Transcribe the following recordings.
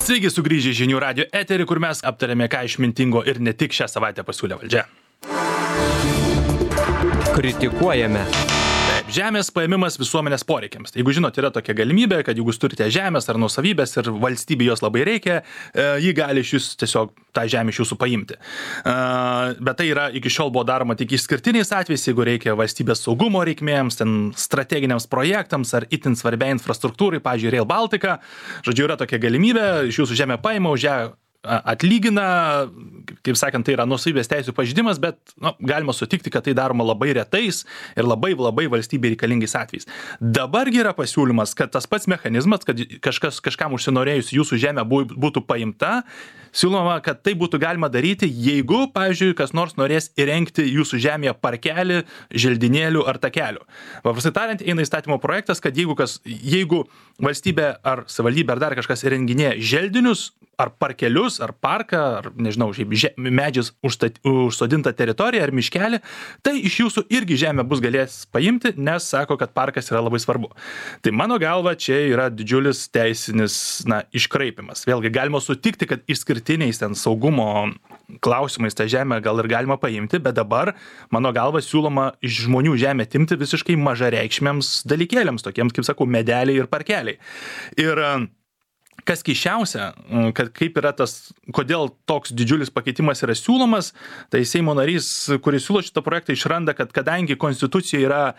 Sveiki sugrįžę į Žinių radijo eterį, kur mes aptarėme, ką išmintingo ir ne tik šią savaitę pasiūlė valdžia. Kritikuojame. Taip, žemės paėmimas visuomenės poreikiams. Jeigu žinot, yra tokia galimybė, kad jeigu jūs turite žemės ar nuosavybės ir valstybė jos labai reikia, ji gali iš jūs tiesiog tą žemę iš jūsų paimti. Bet tai yra iki šiol buvo daroma tik išskirtiniais atvejais, jeigu reikia valstybės saugumo reikmėms, ten strateginiams projektams ar itin svarbiai infrastruktūrai, pavyzdžiui, Rail Baltica. Žodžiu, yra tokia galimybė, iš jūsų žemę paima, už ją atlygina, kaip sakant, tai yra nuosavybės teisių pažeidimas, bet galima sutikti, kad tai daroma labai retais ir labai valstybei reikalingais atvejais. Dabargi yra pasiūlymas, kad tas pats mechanizmas, kad kažkam užsinorėjus jūsų žemė būtų paimta, siūloma, kad tai būtų galima daryti, jeigu, pavyzdžiui, kas nors norės įrengti jūsų žemėje parkelį, želdinėlių ar takelių. Paprastai tariant, eina įstatymo projektas, kad jeigu valstybė ar savivaldybė ar dar kažkas įrenginėja želdinius, ar parkelius, ar parką, ar, nežinau, medžiais užsodintą teritoriją ar miškelį, tai iš jūsų irgi žemę bus galės paimti, nes sako, kad parkas yra labai svarbu. Tai mano galva, čia yra didžiulis teisinis, iškraipimas. Vėlgi, galima sutikti, kad išskirtiniais ten saugumo klausimais tą žemę gal ir galima paimti, bet dabar, mano galva, siūloma iš žmonių žemę atimti visiškai mažareikšmiams dalykėliams, tokiems, kaip sakau, medeliai ir parkeliai. Ir kas keisčiausia, kad kaip yra kodėl toks didžiulis pakeitimas yra siūlomas, tai Seimo narys, kuris siūlo šitą projektą, išranda, kad kadangi konstitucijoje yra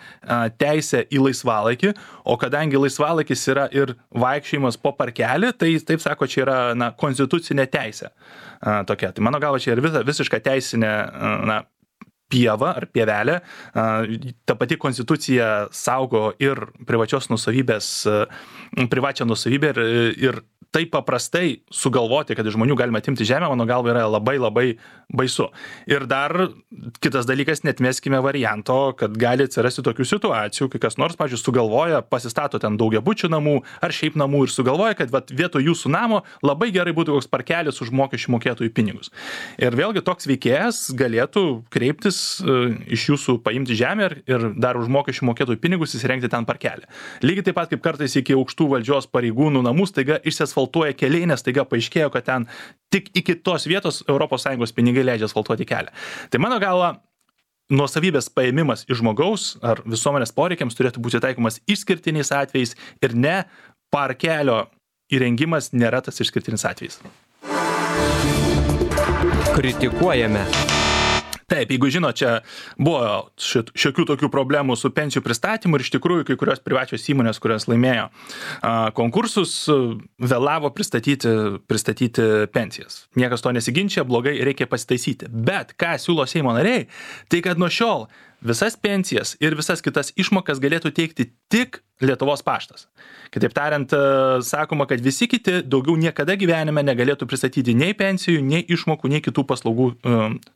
teisė į laisvalaikį, o kadangi laisvalaikis yra ir vaikščiojimas po parkelį, tai taip sako, čia yra konstitucinė teisė tokia. Tai mano galva, čia yra visiška teisinė pieva ar pievelė. Ta pati konstitucija saugo ir privačią nuosavybę ir taip paprastai sugalvoti, kad iš žmonių galima atimti žemę, mano galva, yra labai baisu. Ir dar kitas dalykas, netmeskime varianto, kad gali atsirasti tokių situacijų, kai kas nors, pavyzdžiui, sugalvoja, pasistato ten daugiabučių namų ar šiaip namų ir sugalvoja, kad vietoj jūsų namo labai gerai būtų koks parkelis už mokesčių mokėtojų pinigus. Ir vėlgi toks veikėjas galėtų kreiptis iš jūsų paimti žemę ir dar už mokesčių mokėtojų pinigus įsirengti ten parkelį. Lygiai taip pat kaip kartais iki aukštų valdžios pareigūnų namų staiga išsiasfaltuoja keliai, nes staiga paaiškėjo, kad ten tik iki tos vietos ES pinigai leidžia asfaltuoti kelią. Tai mano galva, nuosavybės paėmimas iš žmogaus ar visuomenės poreikiams turėtų būti taikomas išskirtiniais atvejais ir ne parkelio įrengimas nėra tas išskirtinis atvejis. Kritikuojame. Taip, jeigu žino, čia buvo šiokių tokių problemų su pensijų pristatymu ir iš tikrųjų kai kurios privačios įmonės, kurios laimėjo konkursus, vėlavo pristatyti pensijas. Niekas to nesiginčia, blogai, reikia pasitaisyti. Bet ką siūlo Seimo nariai, tai kad nuo šiol visas pensijas ir visas kitas išmokas galėtų teikti tik Lietuvos paštas. Kitaip tariant, sakoma, kad visi kiti daugiau niekada gyvenime negalėtų pristatyti nei pensijų, nei išmokų, nei kitų paslaugų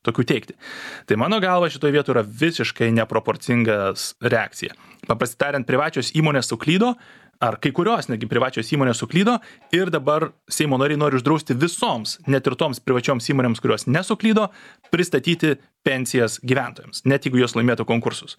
tokių teikti. Tai mano galva šitoje vietoje yra visiškai neproporcingas reakcija. Paprastai tariant, privačios įmonės suklydo, ar kai kurios netgi privačios įmonės suklydo ir dabar Seimo nariai nori uždrausti visoms, net ir toms privačioms įmonėms, kurios nesuklydo, pristatyti pensijas gyventojams, net jeigu jos laimėtų konkursus.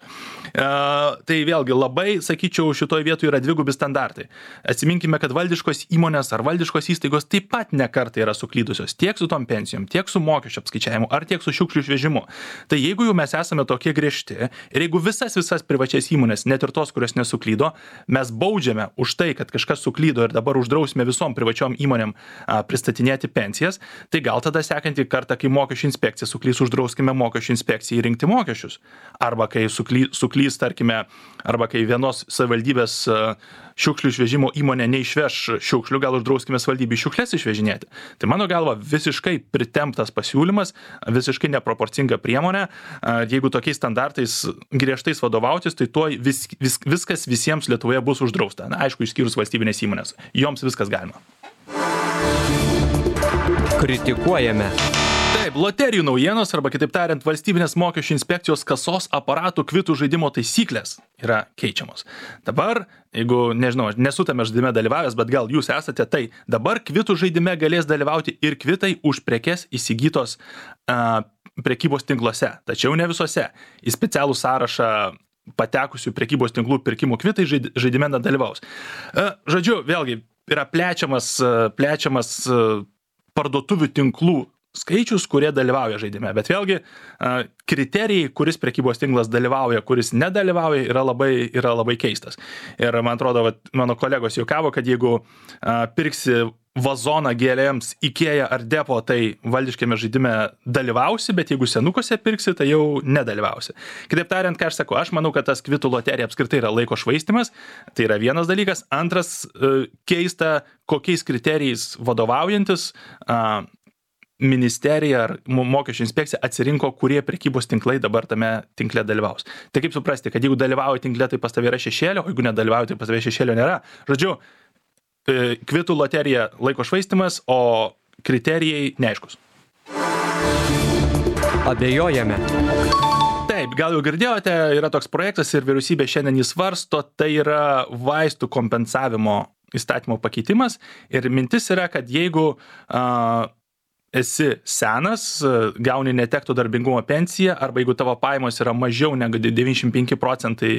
Tai vėlgi labai, sakyčiau, šitoje vietoje yra dvigubi standartai. Atsiminkime, kad valdiškos įmonės ar valdiškos įstaigos taip pat nekartai yra suklydusios tiek su tom pensijom, tiek su mokesčio apskaičiavimu ar tiek su šiukšlių išvežimu. Tai jeigu jau mes esame tokie griežti ir jeigu visas privačias įmonės, net ir tos, kurios nesuklydo, mes baudžiame už tai, kad kažkas suklydo ir dabar uždrausime visom privačiom įmonėm pristatinėti pensijas, tai gal tada sekantį kartą, kai mokesčių inspekcija suklys, uždrauskime mokesčių inspekcijai rinkti mokesčius. Arba kai suklys, tarkime, arba kai vienos savivaldybės šiukšlių išvežimo įmonė neišveš šiukšlių, gal uždrauskime savivaldybei šiukšles išvežinėti. Tai mano galva visiškai pritemptas pasiūlymas, visiškai neproporcinga priemonė. Jeigu tokiais standartais griežtais vadovautis, tai tuoj viskas visiems Lietuvoje bus uždrausta. Aišku, išskyrus valstybinės įmonės. Joms viskas galima. Kritikuojame. Taip, loterijų naujienos, arba kitaip tariant, valstybinės mokesčių inspekcijos kasos aparatų kvitų žaidimo taisyklės yra keičiamos. Dabar, jeigu, nežinau, nesu tame žaidime dalyvavęs, bet gal jūs esate, tai dabar kvitų žaidime galės dalyvauti ir kvitai už prekes įsigytos prekybos tinkluose, tačiau ne visose. Į specialų sąrašą patekusių prekybos tinklų pirkimų kvitai žaidime dalyvaus. Žodžiu, vėlgi, yra plečiamas parduotuvių tinklų skaičius, kurie dalyvauja žaidime. Bet vėlgi, kriterijai, kuris prekybos tinklas dalyvauja, kuris nedalyvauja, yra labai keistas. Ir man atrodo, mano kolegos juokavo, kad jeigu pirksi vazoną gėlėms Ikea ar Depo, tai valdiškame žaidime dalyvausi, bet jeigu senukose pirksi, tai jau nedalyvausi. Kitaip tariant, ką aš sakau, aš manau, kad tas kvitų loterija apskritai yra laiko švaistimas, tai yra vienas dalykas. Antras, keista, kokiais kriterijais vadovaujantis ministerija ar mokesčių inspekcija atsirinko, kurie prekybos tinklai dabar tame tinkle dalyvaus. Tai kaip suprasti, kad jeigu dalyvauja tinkle, tai pas tavai yra šešėlio, o jeigu nedalyvauja, tai pas tavai šešėlio nėra. Žodžiu, kvitų loterija laiko švaistimas, o kriterijai neaiškus. Abejojame. Taip, gal jau girdėjote, yra toks projektas ir vyriausybė šiandien jį svarsto, tai yra vaistų kompensavimo įstatymo pakeitimas. Ir mintis yra, kad jeigu esi senas, gauni netekto darbingumo pensiją, arba jeigu tavo pajamos yra mažiau negu 95%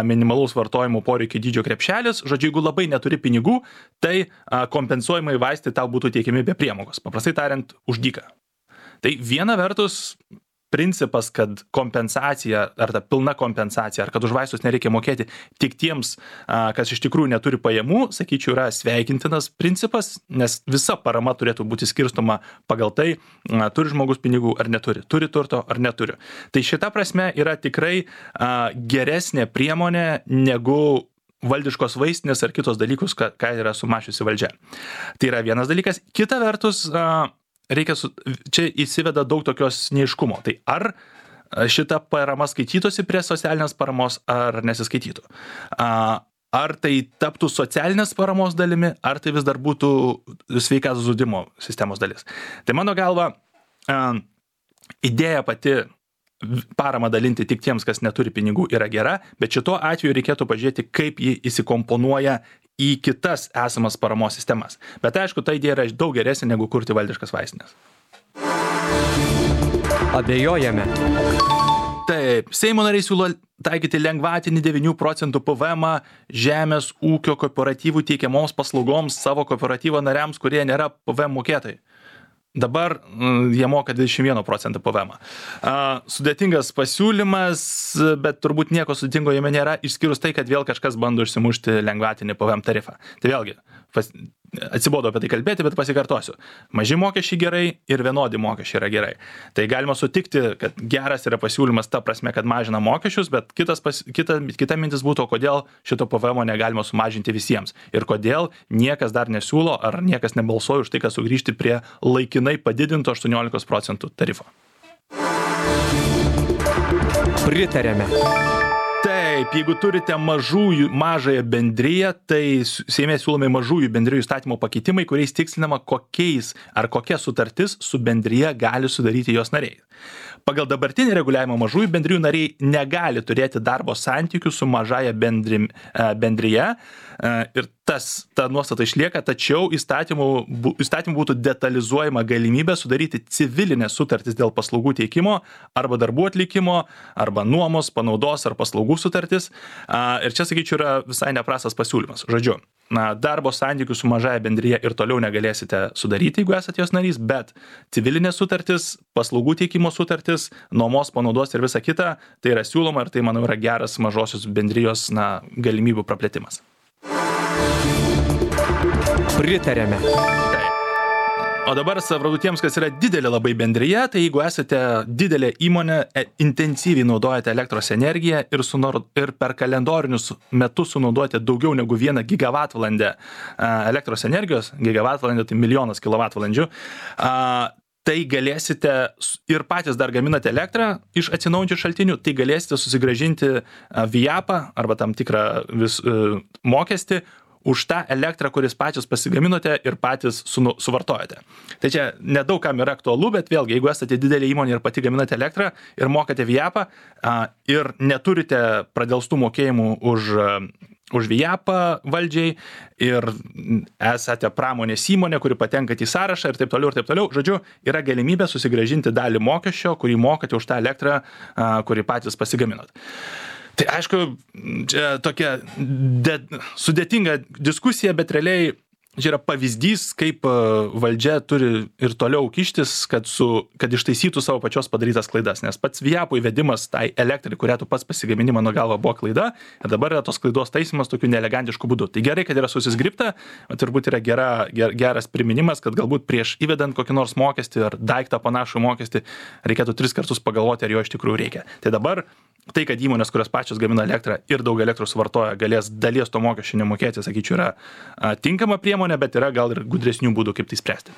minimalaus vartojimo poreikio dydžio krepšelis, žodžiu, jeigu labai neturi pinigų, tai kompensuojamai vaistai tau būtų tiekiami be priemokos. Paprastai tariant, už dyką. Tai viena vertus principas, kad kompensacija, ar ta pilna kompensacija, ar kad už vaistus nereikia mokėti tik tiems, kas iš tikrųjų neturi pajamų, sakyčiau, yra sveikintinas principas, nes visa parama turėtų būti skirstoma pagal tai, turi žmogus pinigų ar neturi, turi turto ar neturi. Tai šita prasme yra tikrai geresnė priemonė negu valdiškos vaistinės ar kitos dalykus, ką yra sumašiusi valdžia. Tai yra vienas dalykas. Kita vertus, čia įsiveda daug tokios neiškumo. Tai ar šita parama skaitytųsi prie socialinės paramos ar nesiskaitytų? Ar tai taptų socialinės paramos dalimi, ar tai vis dar būtų sveikatos draudimo sistemos dalis? Tai mano galva, idėja pati paramą dalinti tik tiems, kas neturi pinigų, yra gera, bet šituo atveju reikėtų pažiūrėti, kaip ji įsikomponuoja į kitas esamas paramos sistemas. Bet aišku, ta idėja yra daug geresnė negu kurti valdiškas vaistinės. Abejojame. Taip, Seimo nariai siūlo taikyti lengvatinį 9% PVM žemės ūkio kooperatyvų teikiamoms paslaugoms savo kooperatyvo nariams, kurie nėra PVM mokėtojai. Dabar jie moka 21% PVM. Sudėtingas pasiūlymas, bet turbūt nieko sudėtingo jame nėra, išskyrus tai, kad vėl kažkas bando išsimušti lengvatinį PVM tarifą. Tai vėlgi, atsibodo apie tai kalbėti, bet pasikartosiu. Maži mokesčiai gerai ir vienodi mokesčiai yra gerai. Tai galima sutikti, kad geras yra pasiūlymas ta prasme, kad mažina mokesčius, bet kita mintis būtų, kodėl šito PVM negalima sumažinti visiems. Ir kodėl niekas dar nesiūlo ar niekas nebalsuoja už tai, kad sugrįžti prie laikinai padidinto 18% tarifo. Pritarėme. Taip, jeigu turite mažąją bendriją, tai Seime siūlomi mažųjų bendrijų įstatymo pakeitimai, kuriais tikslinama, kokia sutartis su bendrija gali sudaryti jos nariai. Pagal dabartinį reguliavimą mažųjų bendrijų nariai negali turėti darbo santykių su mažąja bendrija ir ta nuostata išlieka, tačiau įstatymų būtų detalizuojama galimybė sudaryti civilinės sutartis dėl paslaugų teikimo arba darbų atlikimo, arba nuomos, panaudos ar paslaugų sutartis. Ir čia, sakyčiau, yra visai neprastas pasiūlymas. Žodžiu, darbo santykių su mažąja bendrija ir toliau negalėsite sudaryti, jeigu esate jos narys, bet civilinės sutartis, paslaugų teikimo sutartis, nuomos, panaudos ir visa kita, tai yra siūloma ir tai, manau, yra geras mažosios bendrijos galimybių praplėtimas. Pritarėme. O dabar savradų tiems, kas yra didelė labai bendrija, tai jeigu esate didelė įmonė, intensyviai naudojate elektros energiją ir per kalendorinius metus sunaudojate daugiau negu 1 gigavatvalandę elektros energijos, gigavatvalandė tai 1 000 000 kilovatvalandžių, tai galėsite ir patys dar gaminate elektrą iš atsinaujinančių šaltinių, tai galėsite susigrąžinti VIAPą arba tam tikrą mokestį už tą elektrą, kuris pačius pasigaminote ir patys suvartojate. Tai čia nedaug kam yra aktualu, bet vėlgi, jeigu esate didelė įmonė ir pati gaminate elektrą ir mokate VIAPą ir neturite pradelstų mokėjimų už VIAPą valdžiai ir esate pramonės įmonė, kuri patenkate į sąrašą ir taip toliau, žodžiu, yra galimybė susigrąžinti dalį mokesčio, kurį mokate už tą elektrą, kurį patys pasigaminot. Tai aišku, čia tokia sudėtinga diskusija, bet realiai čia yra pavyzdys, kaip valdžia turi ir toliau kištis, kad ištaisytų savo pačios padarytas klaidas. Nes pats Viapo įvedimas tai elektrai, kurią tu pats pasigamini, mano galva, buvo klaida, ir dabar yra tos klaidos taisymas tokiu neelegantišku būdu. Tai gerai, kad yra susizgribta, turbūt yra geras priminimas, kad galbūt prieš įvedant kokį nors mokestį ar daiktą panašų mokestį, reikėtų 3 kartus pagalvoti, ar jo iš tikrųjų reikia. Tai dabar tai, kad įmonės, kurios pačios gamina elektrą ir daug elektros vartoja, galės dalies to mokesčio nemokėti, sakyčiau, yra tinkama priemonė, bet yra gal ir gudresnių būdų, kaip tai spręsti.